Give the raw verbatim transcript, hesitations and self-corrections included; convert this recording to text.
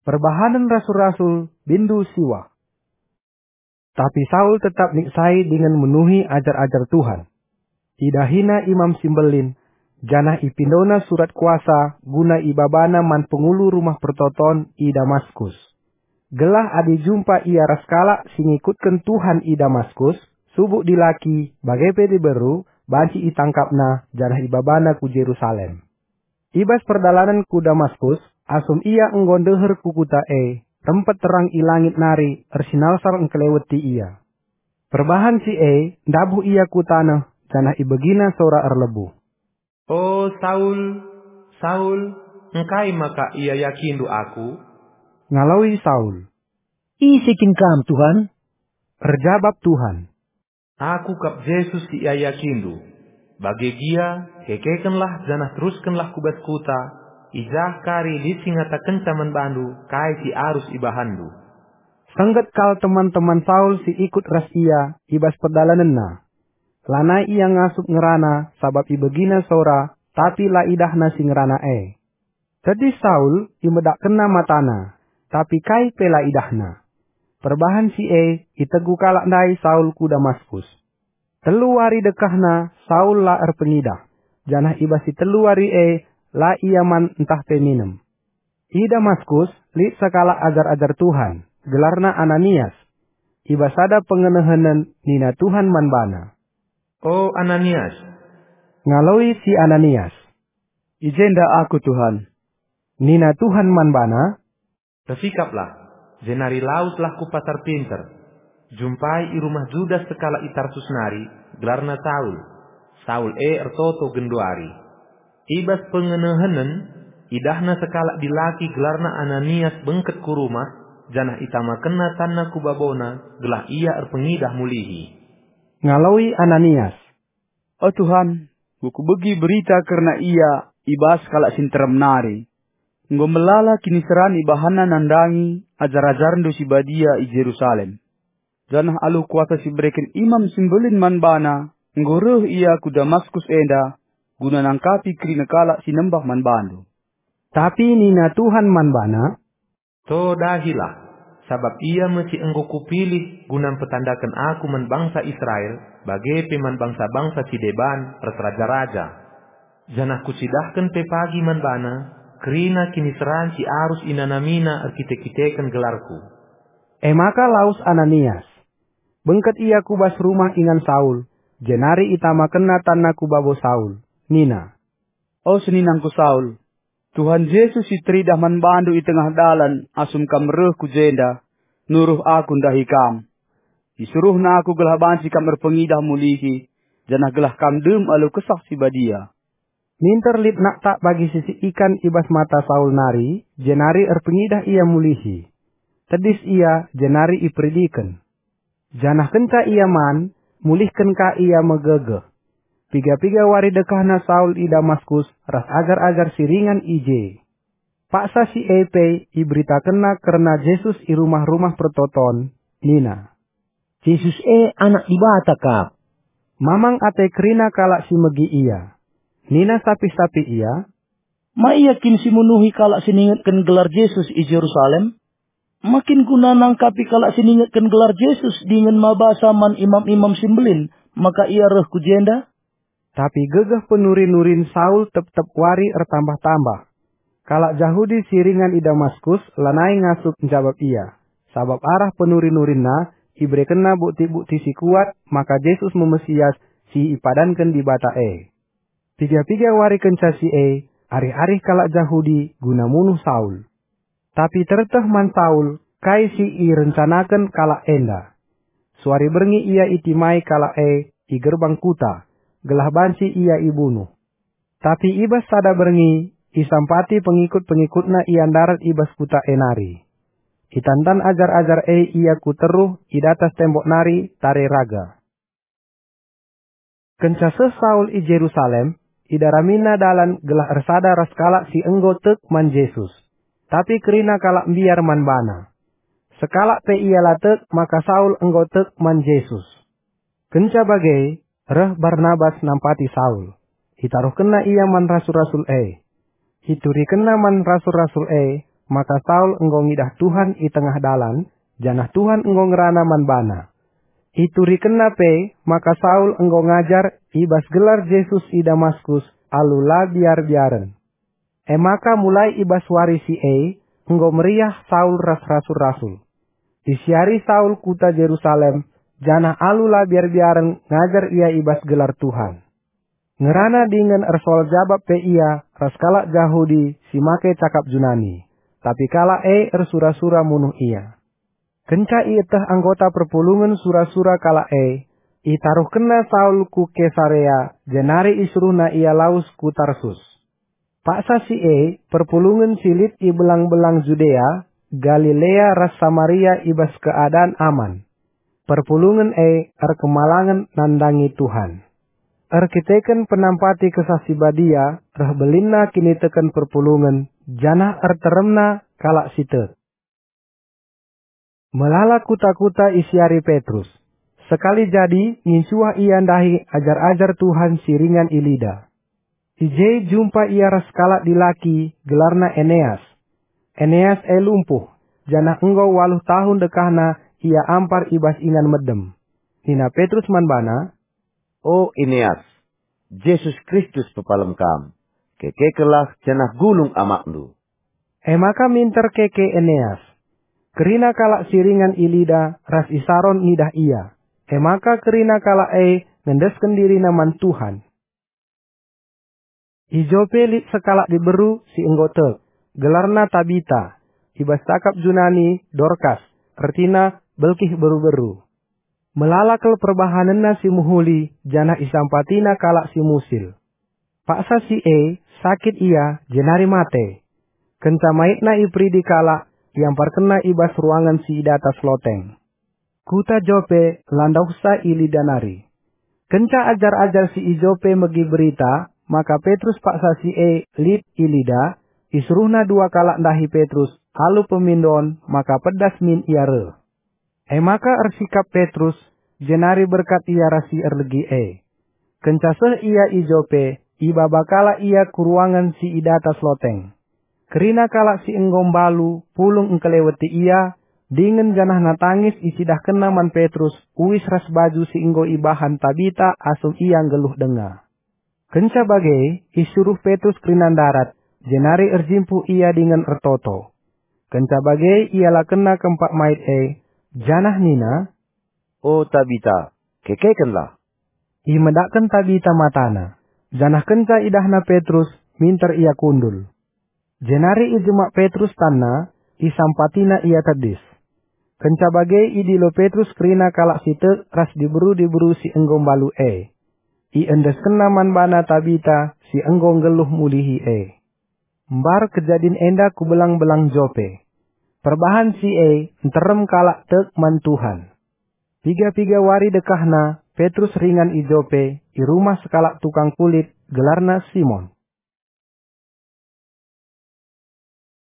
Perbahanen Rasul-rasul, bindu siwah. Tapi Saul tetap niksai dingen menuhi ajar-ajar Tuhan. Idahina Imam si Mbelin, janah ipindona surat kuasa guna ibabana man pengulu rumah pertoton i Damaskus. Gelah adi jumpa ia ras kalak si ngikutken Tuhan i Damaskus, subuk dilaki, bage pe diberu, banci itangkapna janah ibabana ku Jerusalem. I bas perdalanen ku Damaskus, asum ia enggo ndeher ku kuta e, rempet terang i langit nari ersinalsal engkeleweti ia. Perbahan si e, ndabuh ia ku taneh, janah ibegina sora erlebuh. "O Saul, Saul, engkai maka iayakindu Aku?" Ngaloi Saul. "Ise kin Kam, Tuhan?" Erjabap Tuhan. "Aku kap Jesus si iayakindu. Bage gia, kekekenlah janah teruskenlah ku bas kuta, i jah kari lit si ngatakenca man bandu kai si arus ibahanndu." Sengget kal teman-teman Saul si ikut ras ia i bas perdalanenna. Lanai ia ngasup ngerana sabap ibegina sora, tapi la idahna si ngerana e. Tedis Saul, imedakkenna matana, tapi kai pe la idahna. Perbahan si e, itegu kalak ndai Saul ku Damaskus. Telu wari dekahna Saul la erpengidah, janah i bas si telu wari e la ia man ntah pe minem. I Damaskus lit sekalak ajar-ajar Tuhan, gelarna Ananias. I bas sada pengenehenen nina Tuhan man bana, "O Ananias." Ngaloi si Ananias, "I jenda aku, Tuhan." Nina Tuhan man bana, "Ersikaplah, jenari laweslah ku Pasar Pinter. Jumpai i rumah Judas sekalak i Tarsus nari, gelarna Saul. Saul e ertoto genduari." I bas pengenehenen, idahna sekalak dilaki gelarna Ananias bengket ku rumah, janah itamakenna tanna ku babona, gelah ia erpengidah mulihi. Ngaloi Ananias, "O Tuhan, enggo kubegi berita kerna ia i bas kalak si nterem nari. Enggo melala kiniseran ibahanna nandangi ajar-ajarNdu si badia i Jerusalem. Janah alu kuasa si ibereken Imam si Mbelin man bana, enggo reh ia ku Damaskus enda guna nangkapi kerina kalak si nembah man bandu." Tapi nina Tuhan man bana, "To dahilah, sabap ia me si enggo kupilih guna mpetandaken Aku man bangsa Israel, bage pe man bangsa-bangsa si deban ras raja-raja. Janah kucidahken pe pagi man bana kerina kiniseran si arus inanamina erkite-kiteken gelarKu." E maka lawes Ananias. Bengket ia ku bas rumah ingan Saul, jenari itamakenna tanna ku babo Saul. Nina, "O seninangku Saul, Tuhan Jesus si teridah man bandu i tengah dalan asum kam reh ku jenda, nuruh aku ndahi kam. IsuruhNa aku gelah banci kam erpengidah mulihi, janah gelah kam dem alu Kesah Si Badia." Minter lit naktak bagi sisik ikan i bas mata Saul nari, jenari erpengidah ia mulihi. Tedis ia, jenari iperidiken. Janah kenca ia man, mulihken ka ia megegeh. Piga-piga wari dekahna Saul i Damaskus ras ajar-ajar si ringan i je. Paksa si e pe iberitakenna kerna Jesus i rumah-rumah pertoton, nina, "Jesus e Anak Dibata kap." Mamang ate kerina kalak si megi ia. Nina sapih-sapih ia, "Ma ia kin si munuhi kalak si ningetken gelar Jesus i Jerusalem? Ma kin guna nangkapi kalak si ningetken gelar Jesus dingen mabasa man imam-imam si mbelin maka ia reh ku jenda?" Tapi gegeh penuri-nurin Saul tep-tep wari ertambah-tambah. Kalak Jahudi si ringan i Damaskus lanai ngasup njabap ia, sabap arah penuri-nurinna iberekenna bukti-bukti si kuat maka Jesus me Mesias si ipadanken Dibata e. Piga-piga wari kenca si e, arih-arih kalak Jahudi guna munuh Saul. Tapi terteh man Saul kai si irencanaken kalak enda. Suari berngi ia itimai kalak e i gerbang kuta, gelah banci ia ibunuh. Tapi i bas sada berngi, isampati pengikut-pengikutna ia ndarat i bas kuta e nari. Itantan ajar-ajar e ia ku teruh i datas tembok nari tare raga. Kenca seh Saul i Jerusalem, idaramina dalan gelah ersada ras kalak si enggo tek man Jesus. Tapi kerina kalak mbiar man bana. Sekalak pe ia la tek maka Saul enggo tek man Jesus. Kenca bage, reh Barnabas nampati Saul. Itaruhkenna ia man rasul-rasul e. Iturikenna man rasul-rasul e, maka Saul enggo ngidah Tuhan i tengah dalan, janah Tuhan enggo ngerana man bana. Iturikenna pe maka Saul enggo ngajar i bas gelar Jesus i Damaskus alu la biar-biaren. E maka mulai i bas wari si e enggo meriah Saul ras rasul-rasul. Isiari Saul kuta Jerusalem, janah alu la biar-biaren ngajar ia i bas gelar Tuhan. Ngerana dingen ersoal jabap pe ia ras kalak Jahudi si make cakap Junani, tapi kalak e ersura-sura munuh ia. Kenca ieteh anggota perpulungen sura-sura kalak e, itaruhkenna Saul ku Kesarea, jenari isuruhna ia lawes ku Tarsus. Paksa si e, perpulungen si lit i belang-belang Judea, Galilea ras Samaria i bas keadan aman. Perpulungen e erkemalangen nandangi Tuhan. Erkiteken penampati Kesah Si Badia reh belinna kiniteken perpulungen, janah erteremna kalak si tek. Melala kuta-kuta isiari Petrus. Sekali jadi ngincuah ia ndahi ajar-ajar Tuhan si ringan i Lida. I je jumpa ia ras kalak dilaki gelarna Eneas. Eneas e lumpuh, janah enggo waluh tahun dekahna ia ampar i bas ingan medem. Nina Petrus man bana, "O Eneas, Jesus Kristus pepalem kam. Kekekenlah janah gulung amakndu." E maka minter keke Eneas. Kerina kalak si ringan i Lida ras i Saron ngidah ia. E maka kerina kalak e ngendesken dirina man Tuhan. I Jope lit sekalak diberu si enggo tek, gelarna Tabita, i bas cakap Junani Dorkas, ertina belkih beru-beru. Melala kal perbahanenna si mehuli, janah isampatina kalak si musil. Paksa si e, sakit ia, jenari mate. Kenca maitna iperidi kalak, iamparkenna i bas ruangen si i datas loteng. Kuta Jope la ndauhsa i Lida nari. Kenca ajar-ajar si i Jope megi berita maka Petrus paksa si e lit i Lida, isuruhna dua kalak ndahi Petrus alu pemindon maka pedas min ia reh. E maka ersikap Petrus, jenari berkat ia ras si erlegi e. Kenca seh ia i Jope, ibaba kalak ia ku ruangen si i datas loteng. Kerina kalak si enggo mbalu pulung engkeleweti ia, dingen janahna tangis icidahkenna man Petrus uis ras baju si enggo ibahan Tabita asum ia nggeluh denga. Kenca bage, isuruh Petrus kerina ndarat, jenari erjimpuh ia dingen ertoto. Kenca bage, ialakenna kempak mait e, janah nina, "O Tabita, kekekenlah!" Imedakken Tabita matana, janah kenca idahna Petrus, minter ia kundul. Jenari ijemak Petrus tanna, isampatina ia tedis. Kenca bage idilo Petrus kerina kalak si tek ras diberu-diberu si enggo mbalu e. Iendeskenna man bana Tabita si enggo nggeluh mulihi e. Mbar kejadin enda ku belang-belang Jope. Perbahan si e nterem kalak tek man Tuhan. Piga-piga wari dekahna, Petrus ringan i Jope, i rumah sekalak tukang kulit, gelarna Simon.